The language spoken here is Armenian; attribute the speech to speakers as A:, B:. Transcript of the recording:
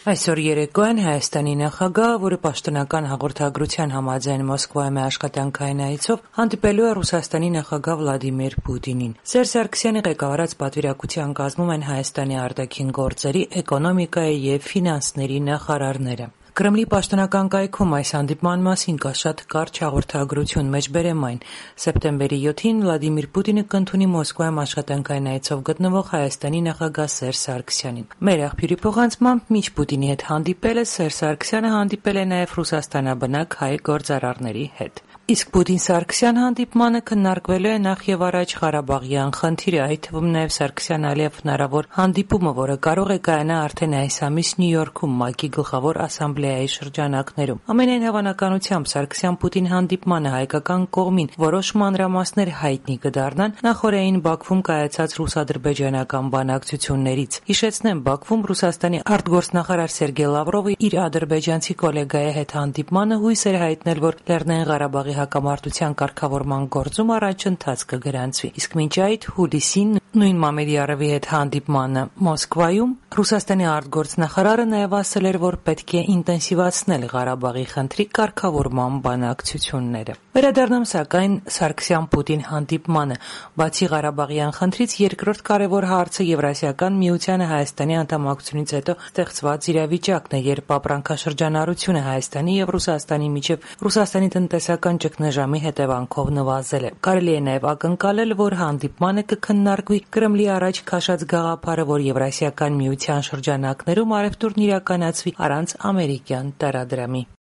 A: Այսօր երեկոյան Հայաստանի նախագահը, որը պաշտոնական հաղորդագրության համաձայն Մոսկվայում է աշխատանքային այցով, հանդիպելու է Ռուսաստանի նախագահ Վլադիմիր Պուտինին։ Սերժ Սարգսյանի ղեկավարած պատվիրակության կազմում են Հայաստանի արտաքին գործերի, էկոնոմիկայի եւ ֆինանսների նախարարները։ Կրեմլի պաշտոնական կայքում այս հանդիպման մասին կա շատ կարճ հաղորդագրություն, մեջբերեմ այն։ Սեպտեմբերի 7-ին Վլադիմիր Պուտինը կընդունի Մոսկվայում աշխատանքային այցով գտնվող Հայաստանի նախագահ Սերժ Սարգսյանին։ Մեր աղբյուրի փոխանցմամբ մինչ Պուտինի հետ հանդիպելը Սերժ Սարգսյանը հանդիպել է նաև ռուսաստանաբնակ հայ գործարարների հետ։ Իսկ Պուտին-Սարգսյան հանդիպմանը քննարկվելու է նախ եւ առաջ Ղարաբաղյան խնդիրը, այդ թվում նաև Սարգսյան-Ալիև հնարավոր հանդիպումը, որը կարող է կայանա արդեն այս ամիս Նյու Յորքում ՄԱԿ-ի գլխավոր ասամբլեայի շրջանակներում։ Ամենայն հավանականությամբ Սարգսյան-Պուտին հանդիպմանը հայկական կողմին որոշ մանրամասներ հայտնի կդառնան նախօրեին Բաքվում կայացած ռուս-ադրբեջանական բանակցություններից։ Հիշեցնեմ, Բաքվում Ռուսաստանի արտգործնախարար Սերգեյ Լավրովը իր ադրբեջանցի գոլեգայի հետ հանդիպմանը հույս էր հայտնել, որ Լեռնային Ղարաբաղի հակամարտության կարգավորման գործում առաջընթաց կգրանցվի։ Իսկ մինչ այդ հուլիսին նույն Մամեդյարովի հետ հանդիպմանը Մոսկվայում Ռուսաստանի արտգործնախարարը նաև ասել էր, որ պետք է ինտենսիվացնել Ղարաբաղի խնդրի կարգավորման բանակցությունները։ Վերադառնամ սակայն Սարգսյան-Պուտին հանդիպմանը։ Բացի Ղարաբաղյան խնդրից երկրորդ կարևոր հարցը Եվրասիական միությանը Հայաստանի անդամակցությունից հետո ստեղծված իրավիճակն է, երբ ապրանքաշրջանառությունը Հայաստանի եւ Ռուսաստանի միջև Ռուսաստանի տնտեսական ճգնաժամի հետևանքով նվազել է։ Կարելի է նաև ակնկալել, որ հանդիպմանը կքննարկվի Կրեմլի առաջ քաշած գաղափարը, որ Եվրասիական միության շրջանակներում առևտուրն իրականացվի առանց ամերիկյան տարադրամի։